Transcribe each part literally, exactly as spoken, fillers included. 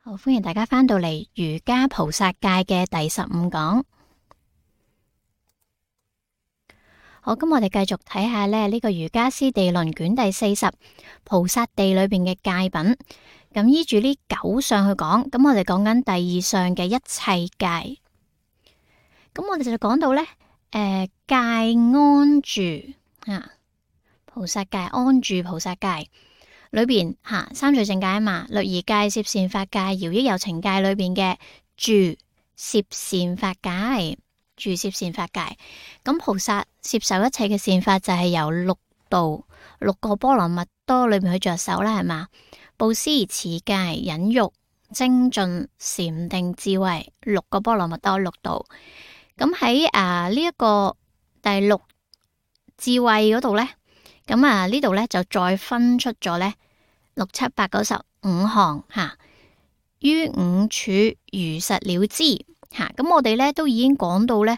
好，歡迎大家返到嚟瑜伽菩薩戒嘅第十五講。好，咁我哋繼續睇下咧呢個瑜伽師地論卷第四十菩薩地裏邊嘅戒品。咁依住呢九相去講，咁我哋講緊第二相嘅一切戒。咁我哋就講到呢，誒、呃、戒安住啊，菩薩戒安住菩薩戒。裏邊吓、啊、三聚淨戒啊嘛，律儀戒、攝善法戒、饒益有情戒裏邊嘅住攝善法戒，住攝善法戒。咁菩薩攝受一切嘅善法就係由六道六個波羅蜜多裏邊去着手啦，係嘛？布施、持戒、忍辱、精進、禪定、智慧，六個波羅蜜多六道。咁喺啊呢一、這個第六智慧嗰度呢。咁啊呢度咧就再分出咗咧六七八九十五項吓，於五處如實了知吓。咁、啊、我哋咧都已經講到咧，誒、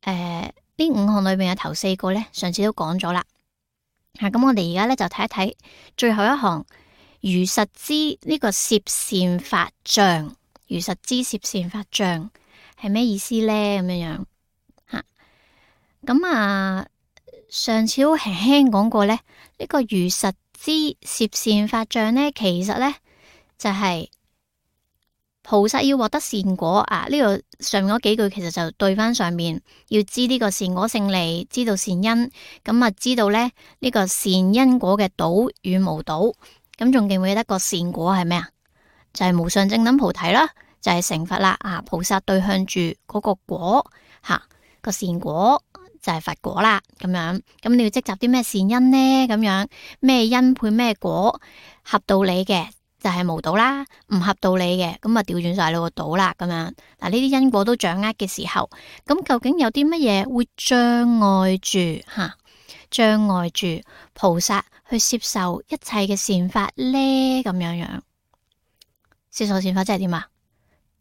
呃、呢五項裏邊嘅頭四個咧，上次都講咗啦吓。咁、啊、我哋而家咧就睇一睇最後一項，如實知呢個攝善法障，如實知攝善法障係咩意思咧？咁樣樣吓，咁啊。上次好輕輕講過咧，呢、這個如實知攝善法障咧，其實咧就係、是、菩薩要獲得善果啊！呢、這個上面嗰幾句其實就對翻上面，要知呢個善果勝利，知道善因，咁啊知道咧呢、這個善因果嘅倒與無倒，咁仲記唔記得個善果係咩啊？就係、是、無上正等菩提啦，就係、是、成佛啦啊！菩薩對向住嗰個果吓、啊、個善果。就係佛果啦，咁樣，咁你要積集啲咩善因呢？咁樣咩因配咩果，合道理嘅就係無倒啦，唔合道理嘅咁啊調轉晒你個倒啦，咁樣嗱呢啲因果都掌握嘅時候，咁究竟有啲乜嘢會障礙住吓？障礙住菩薩去攝受一切嘅善法呢？咁樣樣攝受善法即係點啊？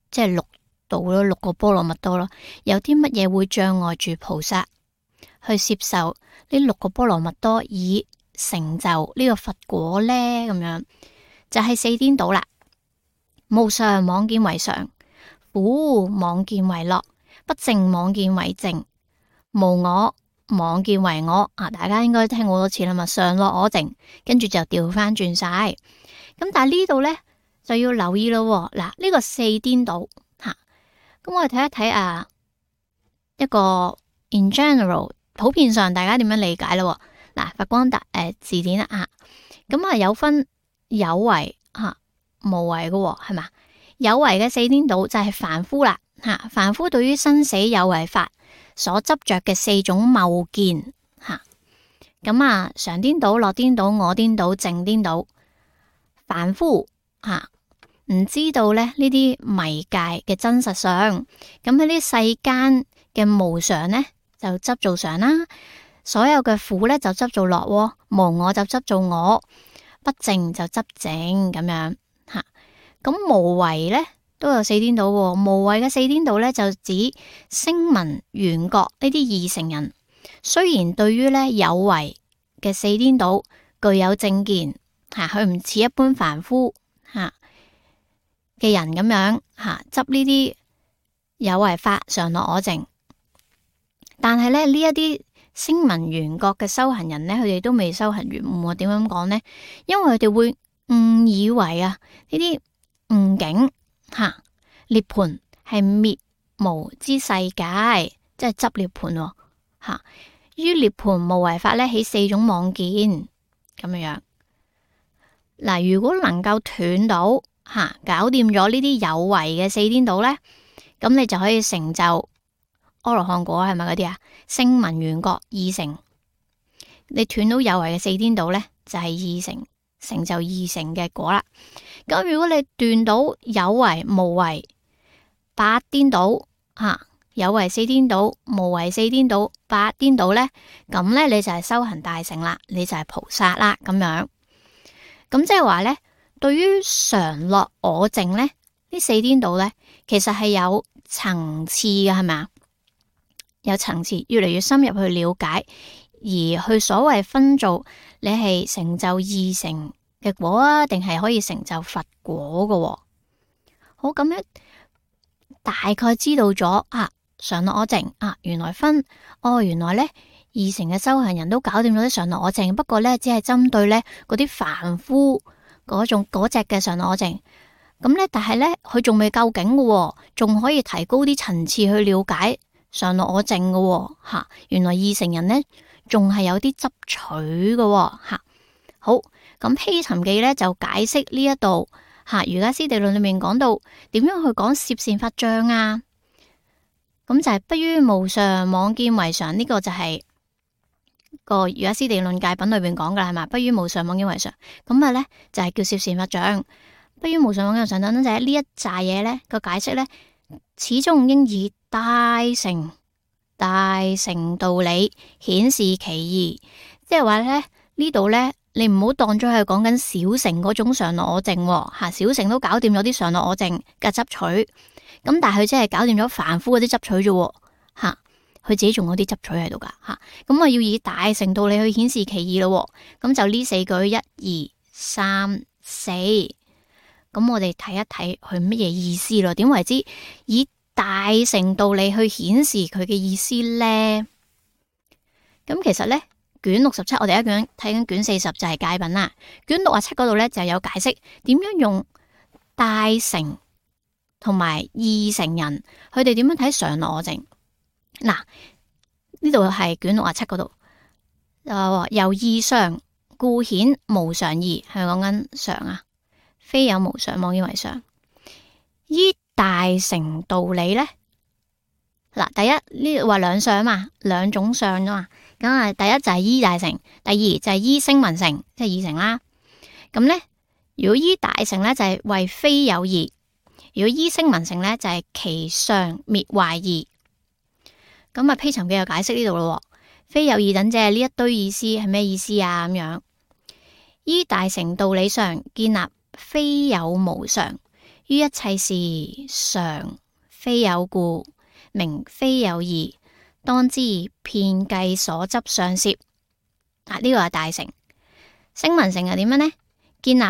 即係六道咯，六個波羅蜜多咯，有啲乜嘢會障礙住菩薩去攝受呢六個波羅蜜多以成就呢個佛果呢？咁樣就係、是、四顛倒啦。無常妄見為常，苦妄見為樂，不淨妄見為淨，無我妄見為我。啊，大家應該聽好多次啦嘛，常樂我淨，跟住就調翻轉晒。咁但係呢度呢，就要留意咯。嗱，呢個四顛倒吓，咁我哋睇一睇啊，一個 in general。普遍上大家點樣理解咯？嗱，佛光大誒、呃、字典啦啊，咁啊有分有為吓、啊、無為嘅係嘛？有為嘅四顛倒就係凡夫啦吓，凡夫對於生死有為法所執着嘅四種謬見吓，咁啊常顛倒、樂顛倒、我顛倒、淨顛倒，凡夫吓唔知道咧呢啲迷界嘅真實相，咁喺呢世間嘅無常呢，就執做常啦，所有嘅苦咧就執做樂，無我就執做我，不淨就執淨咁樣吓。咁無為咧都有四顛倒，無為嘅四顛倒咧就指聲聞緣覺呢啲二乘人，雖然對於咧有為嘅四顛倒具有正見吓，佢唔似一般凡夫吓嘅人咁樣吓執呢啲有為法常樂我淨。但係咧呢一啲聲聞緣覺嘅修行人呢，佢哋都未修行圓滿。點樣講呢？因為佢哋會誤以為啊呢啲誤境吓涅槃係滅無之世界，即係執涅槃吓。於涅槃無為法呢，起四種妄見咁樣樣。嗱，如果能夠斷到吓，搞掂咗呢啲有為嘅四顛倒呢，咁你就可以成就阿羅漢果，係咪嗰啲啊？聲聞緣覺二乘，你斷到有為嘅四顛倒呢，就係、是、二乘成就二乘嘅果啦。咁如果你斷到有為無為八顛倒吓，有為四顛倒、無為四顛倒、八顛倒呢，咁呢，你就係修行大乘啦，你就係菩薩啦咁樣。咁即係話呢，對於常樂我淨呢，呢四顛倒呢，其實係有層次嘅，係咪啊？有層次，越嚟越深入去了解，而去所謂分做你係成就二乘嘅果啊，定係可以成就佛果嘅。好，咁樣大概知道咗啊，常樂我淨啊，原來分哦，原來咧二乘嘅修行人都搞掂咗啲常樂我淨，不過咧只係針對咧嗰啲凡夫嗰種嗰隻嘅常樂我淨。咁咧，但係咧佢仲未夠勁嘅，仲可以提高啲層次去了解常樂我淨嘅吓。原來二乘人咧仲係有啲執取嘅吓。好，咁披尋記咧就解釋呢一度吓，瑜伽師地論裏面講到點樣去講攝善法障啊。咁就係不於無常妄見為常，呢、這個就係個瑜伽師地論戒品裏邊講噶啦，係嘛？不於無常妄見為常，咁啊咧就係叫攝善法障。不於無常妄見為常等等，就係呢一紮嘢咧個解釋咧，始終應以大乘大乘道理顯示其義，即係話咧呢度咧，你唔好當咗係講緊小乘嗰種常樂我淨吓，小乘都搞掂咗啲常樂我淨嘅執取，咁但係佢真係搞掂咗凡夫嗰啲執取啫吓，佢自己仲有啲執取喺度噶吓，咁啊要以大乘道理去顯示其義咯，咁就呢四句一二三四。咁我哋睇一睇佢乜嘢意思咯？點為之以大乘道理去顯示佢嘅意思呢？咁其實呢，卷六十七我哋一樣睇緊卷四十就係戒品啦。卷六十七嗰度呢就有解釋點樣用大乘同埋二乘人，佢哋點樣睇常樂我淨。嗱，呢度係卷六十七嗰度，誒，由義相故顯無常義，係咪講緊常啊？非有無常妄見為常，依大乘道理呢，嗱，第一呢度話兩相嘛，兩種相啊嘛，咁啊，第一就係依大乘，第二就係依聲聞乘，即係二乘啦。咁呢，如果依大乘呢，就係為非有義，如果依聲聞乘呢，就係其相滅壞義。咁啊，披尋記又解釋呢度咯，非有義等即係呢一堆意思係咩意思啊？咁樣依大乘道理上建立非有無常，於一切事常非有故，名非有義，當知遍計所執相攝。啊，呢個係大乘。聲聞乘係點樣呢？建立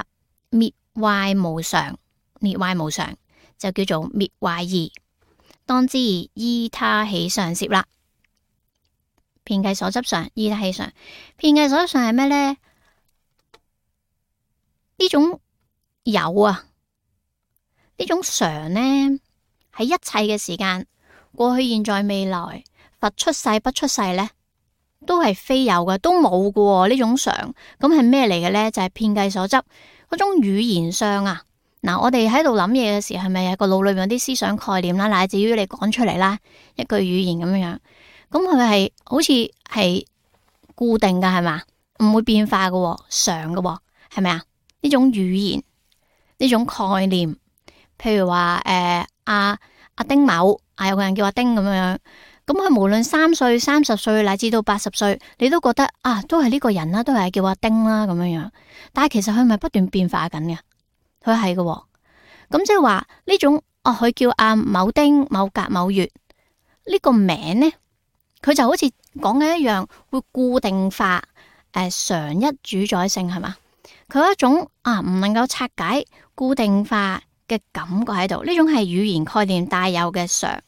滅壞無常，滅壞無常就叫做滅壞義，當知依他起相攝啦。遍計所執相，依他起相。遍計所執相係咩呢？呢種有啊，呢種常呢，喺一切嘅時間，過去、現在、未來，佛出世不出世呢，都係非有嘅，都冇嘅呢種常。咁係咩嚟嘅呢？就係遍計所執嗰種語言上啊。嗱，我哋喺度諗嘢嘅時候，係咪有個腦裏面有啲思想概念啦，乃至於你講出嚟啦，一句語言咁樣樣，咁佢係好似係固定嘅，係嘛？唔會變化嘅，常嘅，係咪啊？呢種語言。呢種概念，譬如話誒阿阿丁某啊，有個人叫阿丁咁樣，咁佢無論三歲、三十歲乃至到八十歲，你都覺得啊，都係呢個人啦，都係叫阿丁啦咁樣樣。但係其實佢咪不斷變化緊嘅，佢係嘅。咁即係話呢種哦，佢叫阿某丁、某甲、某月呢個名呢，佢就好似講嘅一樣，會固定化誒，常一主宰性係嘛？佢有一種啊唔能夠拆解固定化嘅感覺喺度，呢種係語言概念帶有嘅常，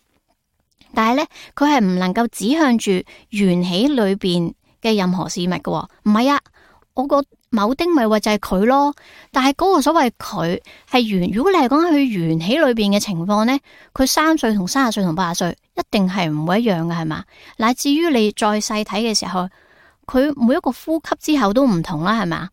但係呢，佢係唔能夠指向住緣起裏邊嘅任何事物嘅。唔係啊，我個某丁咪話就係佢咯，但係嗰個所謂佢係緣，如果你係講佢緣起裏邊嘅情況呢，佢三歲同三十歲同八十歲一定係唔會一樣嘅，係嘛？乃至於你再細睇嘅時候，佢每一個呼吸之後都唔同啦，係嘛？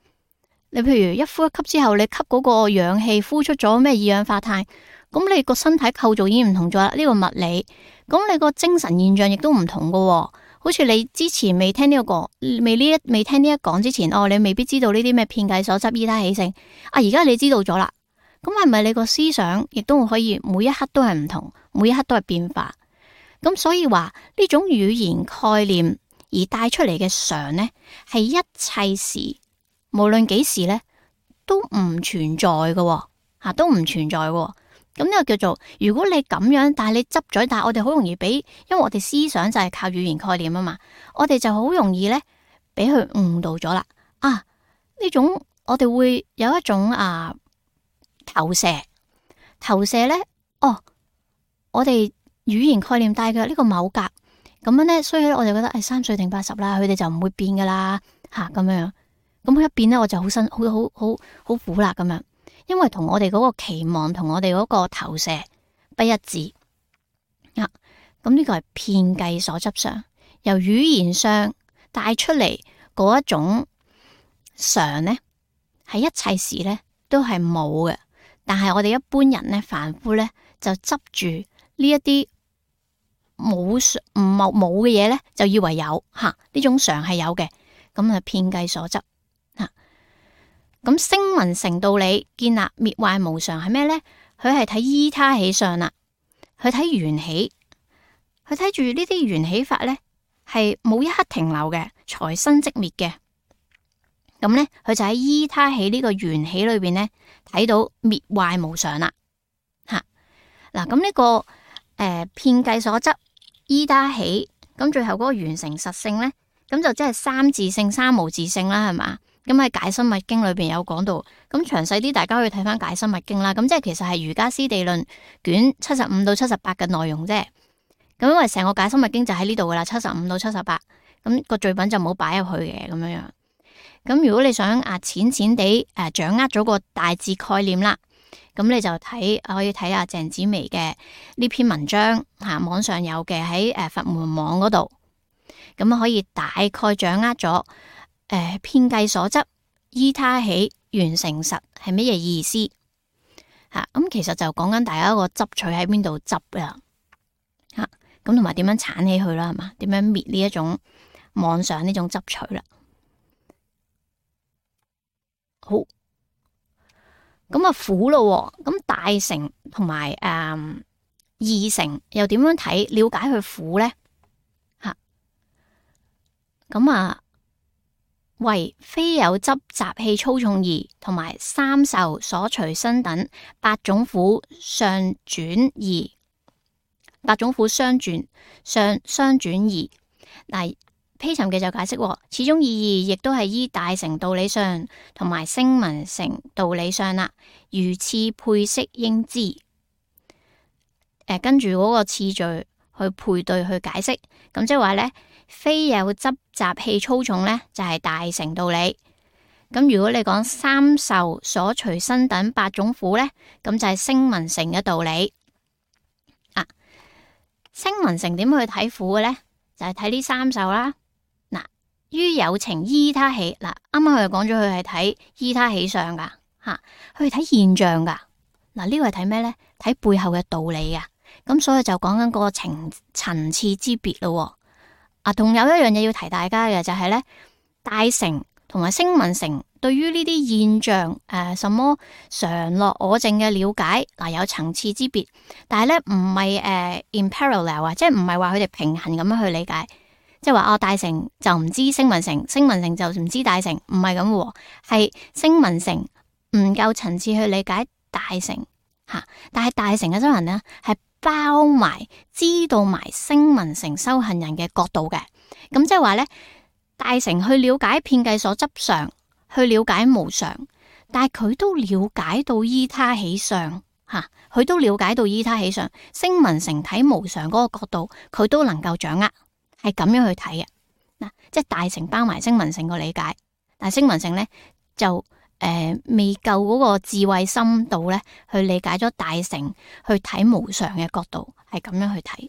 你譬如一呼一吸之後，你吸嗰個氧氣，呼出咗咩二氧化碳，咁你個身體構造已經唔同咗啦。呢個物理，咁你個精神現象亦都唔同噶。好似你之前未聽呢個講，未呢一未聽呢一講之前，哦，你未必知道呢啲咩遍計所執依他起性。啊，而家你知道咗啦，咁係咪你個思想亦都可以每一刻都係唔同，每一刻都係變化？咁所以話呢種語言概念而帶出嚟嘅常呢，係一切時。無論幾時咧，都唔存在嘅，吓都唔存在嘅。咁呢個叫做，如果你咁樣，但係你執咗，但係我哋好容易俾，因為我哋思想就係靠語言概念啊嘛，我哋就好容易咧俾佢誤導咗啦。啊，呢種我哋會有一種啊投射，投射咧，哦，我哋語言概念帶嘅呢個某格咁樣咧，所以咧我就覺得誒三歲定八十啦，佢哋就唔會變噶啦吓咁樣。咁佢一變咧，我就好辛好好好好苦啦咁樣，因為同我哋嗰個期望同我哋嗰個投射不一致啊。咁呢個係遍計所執上，由語言上帶出嚟嗰一種常咧，係一切時咧都係冇嘅。但係我哋一般人咧，凡夫咧就執住呢一啲冇唔冇冇嘅嘢咧，就以為有吓呢、啊、種常係有嘅，咁啊遍計所執吓。咁聲聞乘道理建立滅壞無常係咩咧？佢係睇依他起相啦，佢睇緣起，佢睇住呢啲緣起法咧係冇一刻停留嘅，財生即滅嘅。咁咧，佢就喺依他起呢個緣起裏邊咧，睇到滅壞無常啦。吓嗱，咁呢個誒遍計所執依他起，咁最後嗰個完成實性咧，咁就即係三自性、三無自性啦，係嘛？咁喺解深密經裏邊有講到，咁詳細啲大家可以睇翻解深密經啦。咁即係其實係瑜伽師地論卷七十五到七十八嘅內容啫。咁因為成個解深密經就喺呢度噶啦，七十五到七十八，咁個序品就冇擺入去嘅咁樣樣。咁如果你想啊淺淺地誒掌握咗個大致概念啦，咁你就睇可以睇下鄭紫薇嘅呢篇文章吓、啊，網上有嘅喺誒佛門網嗰度，咁可以大概掌握咗誒遍計所執依他起緣成實係乜嘢意思吓？咁、啊、其實就講緊大家個執取喺邊度執啊吓，咁同埋點樣鏟起佢啦，係嘛？點樣滅呢一種妄想呢種執取啦？好，咁啊苦咯，咁大乘同埋誒二乘又點樣睇？了解佢苦咧吓，咁啊為非有執習氣粗重異，同埋三受所隨身等八種苦相轉異，八種苦相轉相相轉異嗱。披尋嘅就解釋，始終意義亦都係依大乘道理上同埋聲聞乘道理上啦，如次配悉應知。誒、呃，跟住嗰個次序去配對去解釋，咁即係話咧，非有執習氣粗重咧，就係、是、大乘道理。咁如果你講三受所隨身等八種苦咧，咁就係聲聞乘嘅道理。啊，聲聞乘點去睇苦嘅咧？就係睇呢三受啦。於有情依他起，嗱，啱啱佢就講咗佢係睇依他起相噶吓，佢係睇現象噶。嗱，呢個係睇咩咧？睇背後嘅道理啊。咁所以就講緊嗰個層層次之別咯。啊，仲有一樣嘢要提大家嘅就係咧，大乘同埋聲聞乘對於呢啲現象誒、呃，什麼常樂我淨嘅了解，嗱、呃、有層次之別，但係咧唔係誒 in parallel 啊，即係唔係話佢哋平衡咁樣去理解。即係話哦，大乘就唔知聲聞乘，聲聞乘就唔知大乘，唔係咁喎，係聲聞乘唔夠層次去理解大乘吓，但係大乘嘅修行呢，係包埋知道埋聲聞乘修行人嘅角度嘅，咁即係話咧，大乘去了解遍計所執常，去了解無常，但係佢都了解到依他起相吓，佢都了解到依他起相，聲聞乘睇無常嗰個角度，佢都能夠掌握。係咁樣去睇嘅，嗱，即係大乘包埋聲聞乘個理解，但係聲聞乘咧就誒、呃、未夠嗰個智慧深度咧，去理解咗大乘去睇無常嘅角度，係咁樣去睇。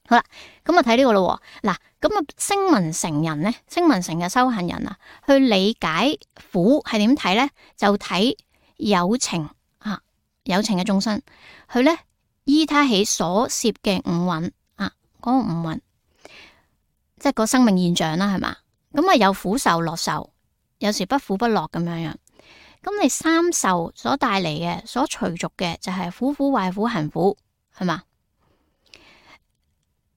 好啦，咁啊睇呢個咯，嗱，咁啊聲聞乘人咧，聲聞乘嘅修行人啊，去理解苦係點睇咧？就睇有情啊，有情嘅眾生，佢咧依他起所攝嘅五蘊啊，嗰、那個五蘊。即係個生命現象啦，係嘛？咁啊有苦受、樂受，有時不苦不樂咁樣樣。咁你三受所帶嚟嘅、所隨逐嘅就係苦苦、壞苦、行苦，係嘛？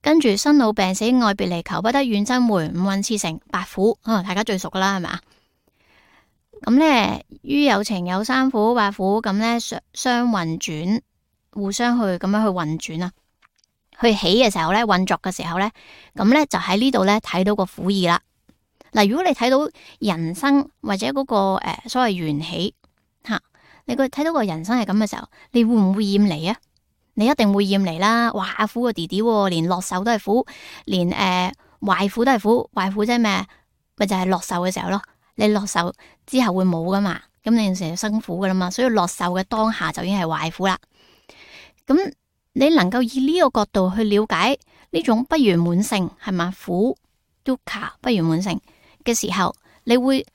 跟住生老病死、愛別離、求不得、怨憎會、五蘊熾盛、八苦，啊，大家最熟噶啦，係嘛？咁咧於有情有三苦、八苦，咁咧相相運轉，互相去咁樣去運轉啊。去起嘅時候咧，運作嘅時候咧，咁咧就喺呢度咧睇到個苦義啦。嗱，如果你睇到人生或者嗰、那個誒、呃、所謂緣起吓，你個睇到個人生係咁嘅時候，你會唔會厭離啊？你一定會厭離啦！哇，苦個弟弟，連落手都係苦，連誒壞苦都係苦，壞苦即係咩？咪就係落手嘅時候咯。你落手之後會冇噶嘛？咁你成日辛苦噶啦嘛，所以落手嘅當下就已經係壞苦啦。咁你能夠以呢個角度去了解呢種不圓滿性係嘛？苦 dukkha 不圓滿性嘅時候，你會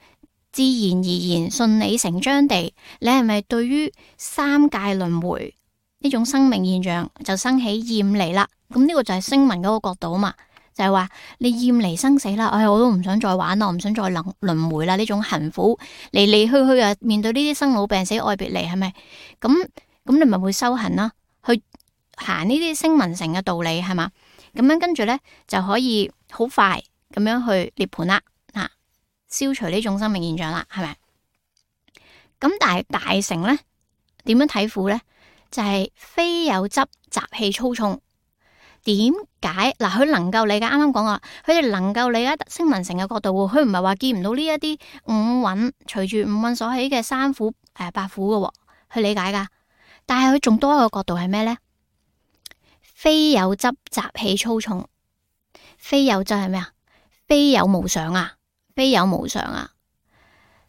自然而然順理成章地，你係咪對於三界輪迴呢種生命現象就生起厭離啦？咁呢個就係聲聞嗰個角度啊嘛，就係話你厭離生死啦，哎，我都唔想再玩啦，我唔想再輪輪迴啦，呢種行苦嚟嚟去去啊，面對呢啲生老病死愛別離，係咪？咁咁你咪會修行啦，去行呢啲聲聞乘嘅道理係嘛？咁樣跟住咧就可以好快咁樣去涅槃啦，啊，消除呢種生命現象啦，係咪？咁但係大乘咧點樣睇苦咧？就係、是、非有執習氣粗重。點解嗱？佢能夠理解，啱啱講啦，佢哋能夠理解聲聞乘嘅角度，佢唔係話見唔到呢一啲五蘊隨住五蘊所起嘅三苦誒、呃、八苦嘅，去理解噶。但係佢仲多一個角度係咩咧？非有執習氣粗重，非有執係咩啊？非有無常啊，非有無常啊。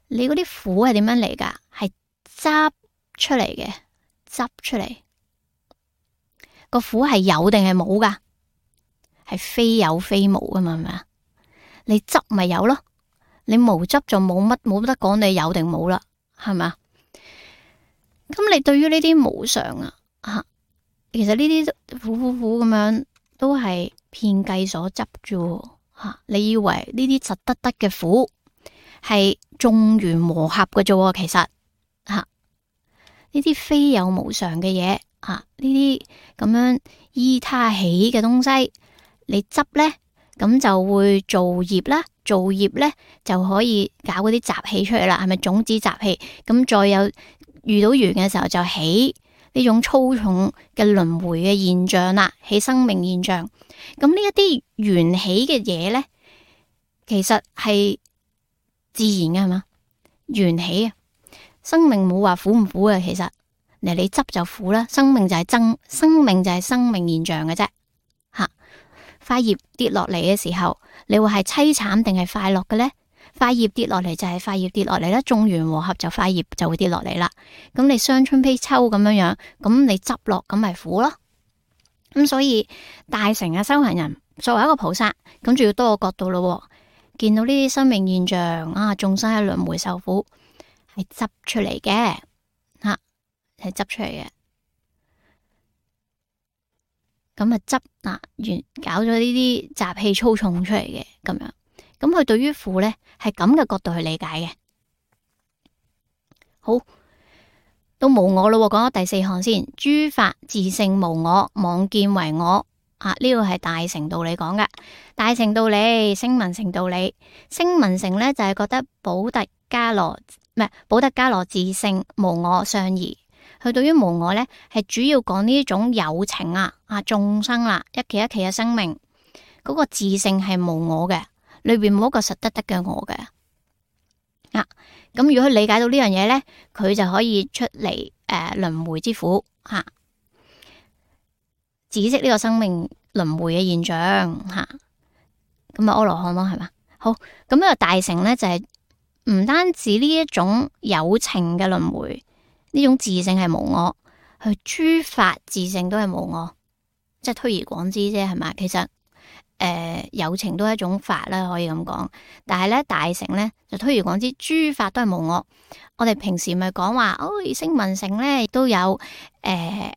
你嗰啲苦係點樣嚟噶？係執出嚟嘅。執出嚟個苦係有定係冇噶？係非有非無噶嘛？係咪啊？你執咪有咯，你無執就冇乜冇得講你有定冇啦，係咪啊？咁你對於呢啲無常啊，吓，其實呢啲苦苦苦咁樣都係遍計所執啫，吓，你以為呢啲實得得嘅苦係眾緣和合嘅啫？其實吓。呢啲非有無常嘅嘢，啊，呢啲咁樣依他起嘅東西，你執咧，咁就會造業啦，造業咧就可以搞嗰啲習氣出嚟啦，係咪種子習氣？咁再有遇到緣嘅時候就起呢種粗重嘅輪迴嘅現象啦，起生命現象。咁呢一啲緣起嘅嘢咧，其實係自然嘅係嘛？緣起啊！生命冇話苦唔苦嘅，其實嚟你執就苦啦。生命就係增，生命就係生命現象嘅啫。吓，塊葉跌落嚟嘅時候，你會係淒慘定係快樂嘅咧？塊葉跌落嚟就係塊葉跌落嚟啦，眾緣和合就塊葉就會跌落嚟啦。咁你傷春悲秋咁樣樣，咁你執落咁咪苦咯。咁所以大乘嘅修行人作為一個菩薩，咁仲要多個角度咯。見到呢啲生命現象啊，眾生喺輪迴受苦。係執出嚟嘅，吓，係執出嚟嘅。咁啊執嗱完搞咗呢啲習氣粗重出嚟嘅，咁樣，咁佢對於苦咧係咁嘅角度去理解嘅。好，到無我咯，講咗第四項先，諸法自性無我，妄見為我。啊，呢個係大乘道理講嘅，大乘道理、聲聞乘道理，聲聞乘咧就係覺得補特伽羅。唔係補特伽羅自性無我相宜，佢對於無我咧係主要講呢種有情啊啊眾生啦，一期一期嘅生命嗰、那個自性係無我嘅，裏邊冇一個實得得嘅我嘅啊。咁如果佢理解到呢樣嘢咧，佢就可以出嚟誒輪迴之苦吓，止息呢個生命輪迴嘅現象吓。咁啊阿羅漢咯係嘛？好，咁呢個大乘咧就係、是。唔單止呢一種有情嘅輪迴，呢種自性係無我，佢諸法自性都係無我，即係推而廣之啫，係咪？其實誒、呃、有情都係一種法啦，可以咁講。但係咧大乘咧就推而廣之，諸法都係無我。我哋平時咪講話，哦，聲聞乘咧亦都有誒，佢、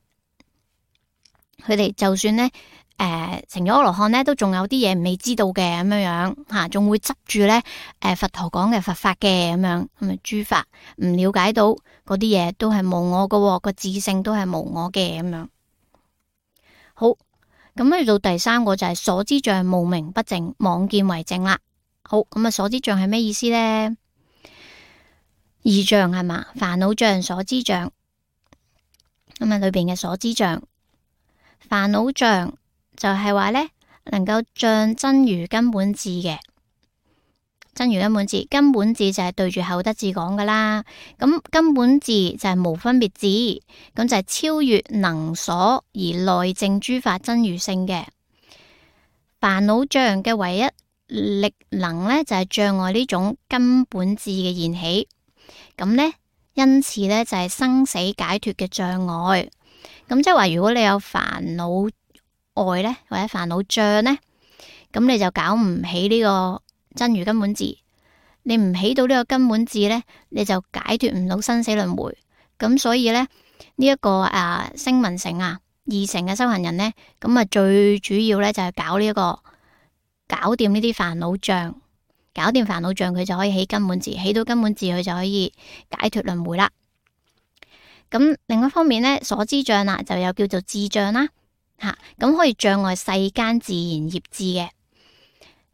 呃、哋就算咧。誒、呃，成咗阿羅漢咧，都仲有啲嘢未知道嘅咁樣樣吓，仲會執住咧誒佛陀講嘅佛法嘅咁樣，咁啊諸法唔了解到嗰啲嘢都係無我嘅，個自性都係無我嘅咁樣。好，咁去到第三個就係所知障無明不淨，妄見為淨啦。好，咁啊所知障係咩意思咧？二障係嘛？煩惱障、所知障，咁啊裏邊嘅所知障、煩惱障。就係話咧，能夠障真如根本智嘅真如根本智，根本智就係對住後得智講噶啦。咁根本智就係無分別智，咁就係超越能所而內證諸法真如性嘅。煩惱障嘅唯一力能呢，就係障礙呢種根本智嘅現起。咁呢，因此呢，就係生死解脫嘅障礙。咁即係話，如果你有煩惱愛呢，或者煩惱障呢，咁你就搞唔起呢個真如根本智。你唔起到呢個根本智呢，你就解脫唔到生死輪迴。咁所以呢，呢、這、一個啊聲聞乘啊二乘嘅修行人呢，咁啊最主要呢，就係搞呢、這、一個搞掂呢啲煩惱障，搞掂煩惱障佢就可以起根本智，起到根本智佢就可以解脫輪迴啦。咁另一方面呢，所知障啊就有叫做智障啦，吓咁可以障礙世間自然業智嘅。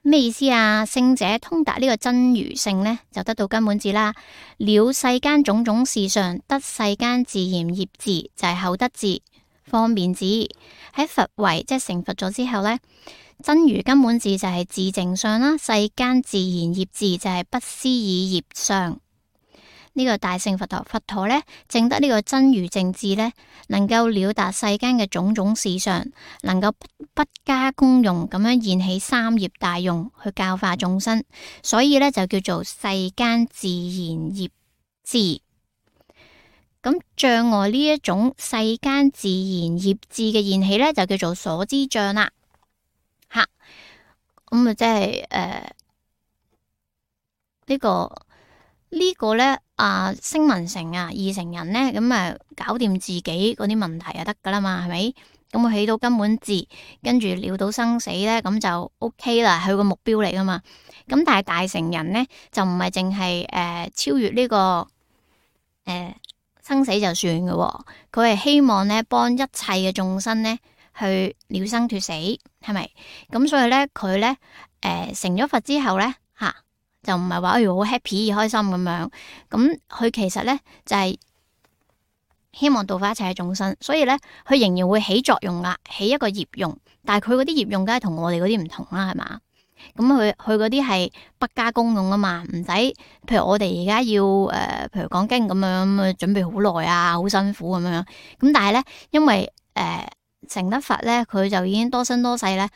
咩意思啊？聖者通達呢個真如性呢，就得到根本智啦。了世間種種事上得世間自然業智，就係、是、後得智、方便智。喺佛位即係成佛咗之後呢，真如根本智就係自淨相啦，世間自然業智就係不思議業相。呢、這個大乘佛陀，佛陀呢，證得呢個真如正智呢，能夠了達世間嘅種種事相，能夠不加功用咁樣現起三業大用去教化眾生，所以呢，就叫做世間自然業智。咁障礙呢一種世間自然業智嘅現起呢，就叫做所知障啦。吓，咁啊，即係誒呢個呢、這個呢。啊，聲聞乘啊，二乘人呢，咁啊搞掂自己嗰啲問題就得噶啦嘛，係咪？咁我起到根本智，跟住了到生死呢，咁就 OK 啦，係個目標嚟噶嘛。咁但係大乘人呢，就唔係淨係誒超越呢、這個誒、呃、生死就算嘅、哦，佢係希望呢幫一切嘅眾生呢去了生脫死，係咪？咁所以呢，佢呢誒、呃、成咗佛之後呢。吓。就唔係話哎好 happy 開心咁樣，咁佢其實咧就係、是、希望度化一切嘅眾生，所以咧佢仍然會起作用啦，起一個業用，但係佢嗰啲業用梗係同我哋嗰啲唔同啦，係嘛？咁佢佢嗰啲係不加功用啊嘛，唔使，譬如我哋而家要誒、呃，譬如講經咁樣，準備好耐啊，好辛苦咁樣，咁但係咧因為誒、呃、成得佛咧，佢就已經多生多世咧，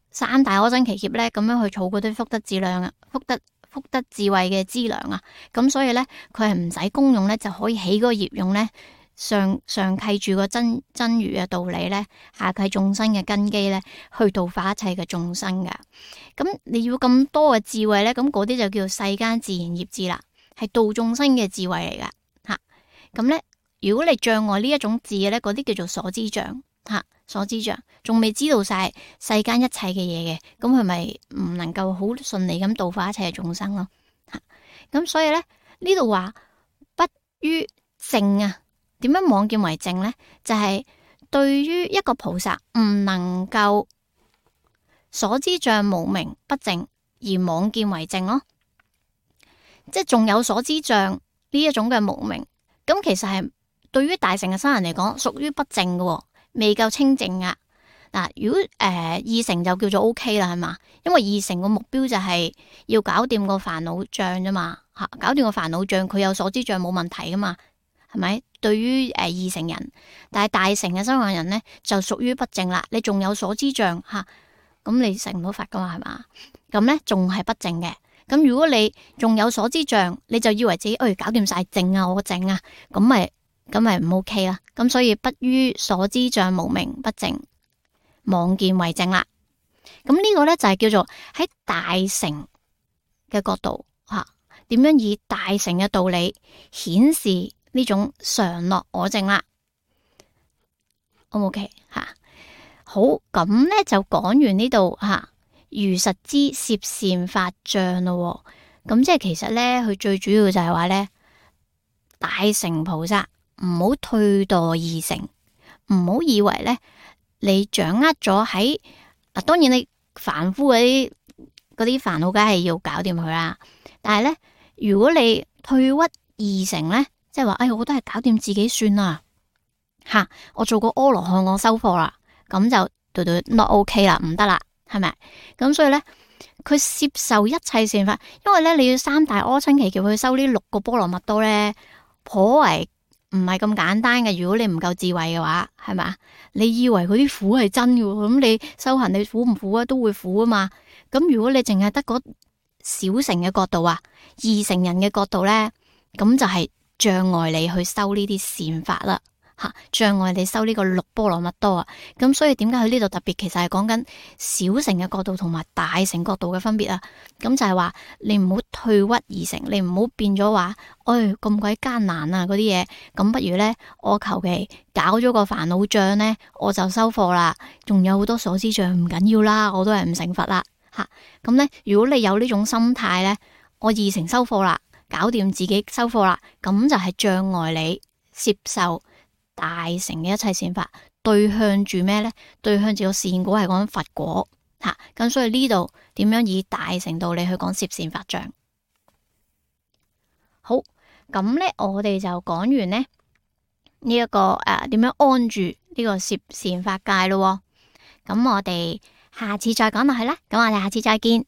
三大阿僧祇劫咧咁樣去儲嗰啲福德智量啊，福德。福德智慧嘅資糧啊，咁所以咧佢係唔使功用咧就可以起嗰個業用咧，上上契住個真真如嘅道理咧，下契眾生嘅根基咧，去度化一切嘅眾生噶。咁你要咁多嘅智慧咧，咁嗰啲就叫做世間自然業智啦，係度眾生嘅智慧嚟噶吓。咁咧，如果你障礙呢一種智嘅咧，嗰啲叫做所知障吓。所知障仲未知道晒世間一切嘅嘢嘅，咁佢咪唔能夠好順利咁度化一切嘅眾生咯。咁所以咧呢度話不於正啊，點樣妄見為正咧？就係、是、對於一個菩薩唔能夠所知障無明不正而妄見為正咯，即係仲有所知障呢一種嘅無明，咁其實係對於大乘嘅僧人嚟講屬於不正嘅。未夠清淨啊！嗱，如果誒、呃、二乘就叫做 O K 啦，係嘛？因為二乘個目標就係要搞掂個煩惱障啫嘛，吓搞掂個煩惱障，佢有所知障冇問題噶嘛，係咪？對於誒、呃、二乘人，但係大乘嘅修行人咧就屬於不正啦。你仲有所知障吓，咁你成唔到佛噶嘛，係嘛？咁咧仲係不正嘅。咁如果你仲有所知障，你就以為自己誒、哎、搞掂晒正啊，我正啊，咁咪？咁咪唔 OK 啦，咁所以不於所知障無明不正，妄見為正啦。咁呢個咧就係叫做喺大乘嘅角度吓，點樣以大乘嘅道理顯示呢種常樂我正啦。O 唔 OK 吓？好，咁咧就講完呢度吓，如實知攝善法障咯。咁即係其實咧，佢最主要就係話咧，大乘菩薩。唔好退墮二乘，唔好以為咧你掌握咗喺嗱，當然你凡夫嗰啲嗰啲煩惱梗係要搞掂佢啦。但係咧，如果你退屈二乘咧，即係話，哎，我都係搞掂自己算啦，吓，我做個阿羅漢，我收貨啦，咁就對對 not OK 啦，唔得啦，係咪？咁所以咧，佢攝受一切善法，因為咧你要三大阿僧祇劫去收呢六個波羅蜜多咧，頗為唔係咁簡單嘅。如果你唔夠智慧嘅話，係咪？你以為嗰啲苦係真嘅，咁你修行你苦唔苦啊？都會苦啊嘛。咁如果你淨係得嗰小乘嘅角度啊，二乘人嘅角度咧，咁就係障礙你去修呢啲善法啦。吓，障礙你收呢個六波羅蜜多啊，咁所以點解佢呢度特別，其實係講緊小乘嘅角度同埋大乘角度嘅分別啊。咁就係話你唔好退屈而成，你唔好變咗話，哎咁鬼艱難啊嗰啲嘢，咁不如呢，我求其搞咗個煩惱障呢，我就收貨啦，仲有好多所知障唔緊要啦，我都係唔成佛啦吓。咁呢，如果你有呢種心態呢，我二乘收貨啦，搞掂自己收貨啦，咁就係障礙你接受大乘嘅一切善法，對向住咩呢？對向住個善果係講佛果吓，咁、啊、所以呢度點樣以大乘道理去講攝善法障？好，咁呢，我哋就講完呢呢一、這個誒點、啊、樣安住呢個攝善法界咯。咁我哋下次再講落去啦。咁我哋下次再見。